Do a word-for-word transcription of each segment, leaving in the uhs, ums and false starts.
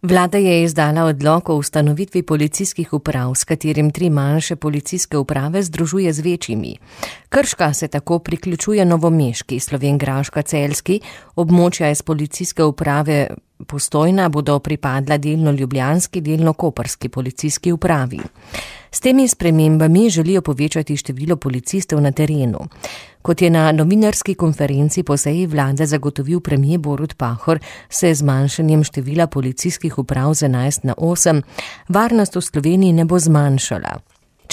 Vlada je izdala odlok o ustanovitvi policijskih uprav, s katerim tri manjše policijske uprave združuje z večjimi. Krška se tako priključuje novomeški, Slovenjgraška celjski, območja iz policijske uprave Postojna bodo pripadla delno ljubljanski, delno koprski policijski upravi. S temi spremembami želijo povečati število policistov na terenu. Kot je na novinarski konferenci po seji vlade zagotovil premier Borut Pahor, se z zmanjšanjem števila policijskih uprav z enajst na osem varnost v Sloveniji ne bo zmanjšala.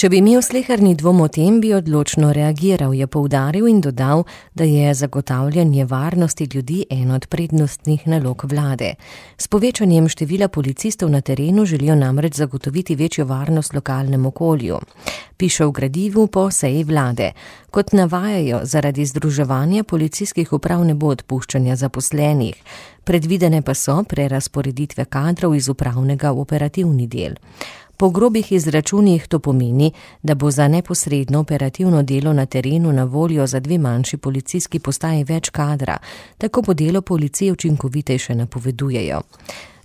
Če bi imel sleherni dvom o tem, bi odločno reagiral, je poudaril in dodal, da je zagotavljanje varnosti ljudi en od prednostnih nalog vlade. S povečanjem števila policistov na terenu želijo namreč zagotoviti večjo varnost lokalnemu okolju. Piše v gradivu po seji vlade. Kot navajajo, zaradi združevanja policijskih uprav ne bo odpuščanja zaposlenih. Predvidene pa so prerazporeditve kadrov iz upravnega v operativni del. Po grobih izračunih to pomeni, da bo za neposredno operativno delo na terenu na voljo za dve manjši policijski postaji več kadra, tako bo delo policije učinkovitejše, napovedujejo.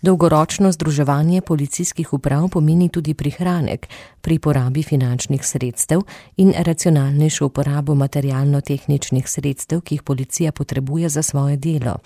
Dolgoročno združevanje policijskih uprav pomeni tudi prihranek pri porabi finančnih sredstev in racionalnejšo uporabo materialno-tehničnih sredstev, ki jih policija potrebuje za svoje delo.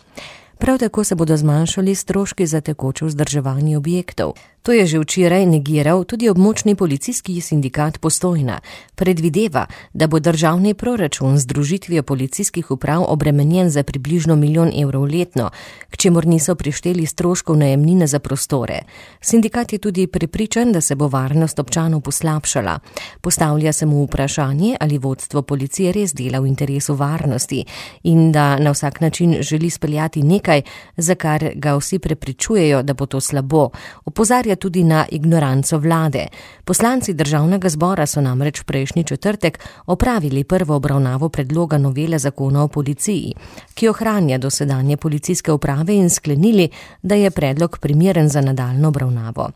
Prav tako se bodo zmanjšali stroški za tekoče vzdrževanje objektov. To je že včeraj negiral tudi območni policijski sindikat Postojna. Predvideva, da bo državni proračun z združitvijo policijskih uprav obremenjen za približno milijon evrov letno, k čemur niso prišteli stroškov najemnine za prostore. Sindikat je tudi prepričan, da se bo varnost občanov poslabšala. Postavlja se mu vprašanje, ali vodstvo policije res dela v interesu varnosti in da na vsak način želi speljati nekaj, za kar ga vsi prepričujejo, da bo to slabo. Opozarja tudi na ignoranco vlade. Poslanci državnega zbora so namreč prejšnji četrtek opravili prvo obravnavo predloga novele zakona o policiji, ki ohranja dosedanje policijske uprave in sklenili, da je predlog primeren za nadaljnjo obravnavo.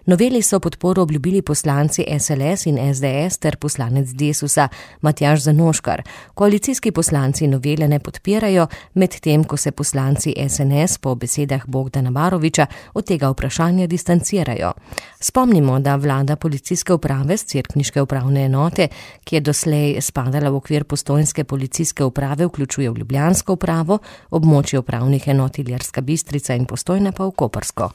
Noveli so podporo obljubili poslanci S L S in S D S ter poslanec Desusa Matjaž Zanoškar. Koalicijski poslanci novele ne podpirajo, medtem ko se poslanci S N S po besedah Bogdana Baroviča od tega vprašanja distancirajo. Spomnimo, da vlada policijske uprave s cerkniške upravne enote, ki je doslej spadala v okvir postojnske policijske uprave, vključuje v ljubljansko upravo, območje upravnih enot Ilirska Bistrica in Postojna pa v koprsko.